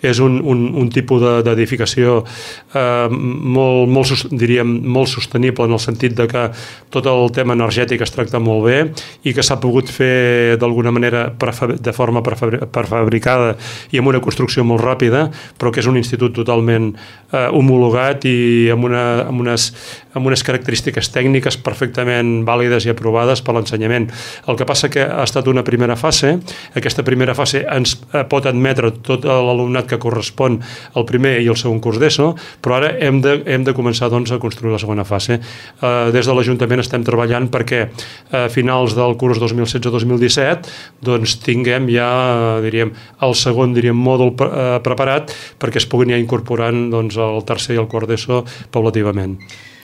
és un tipus d'edificació molt sostenible, en el sentit de que tot el tema energètic es tracta molt bé i que s'ha pogut fer d'alguna manera de forma prefabricada i amb una construcció molt ràpida, però que és un institut totalment homologat i amb unes característiques tècniques perfectament vàlides i aprovades per l'ensenyament. El que passa que ha estat una primera fase. Aquesta primera fase ens pot admetre tot l'alumnat que correspon al primer i al segon curs d'ESO, però ara hem de començar doncs, a construir la segona fase. Des de l'Ajuntament estem treballant perquè a finals del curs 2016-2017 doncs, tinguem ja el segon mòdul preparat perquè es puguin ja incorporant doncs, el tercer i el quart d'ESO paulativament.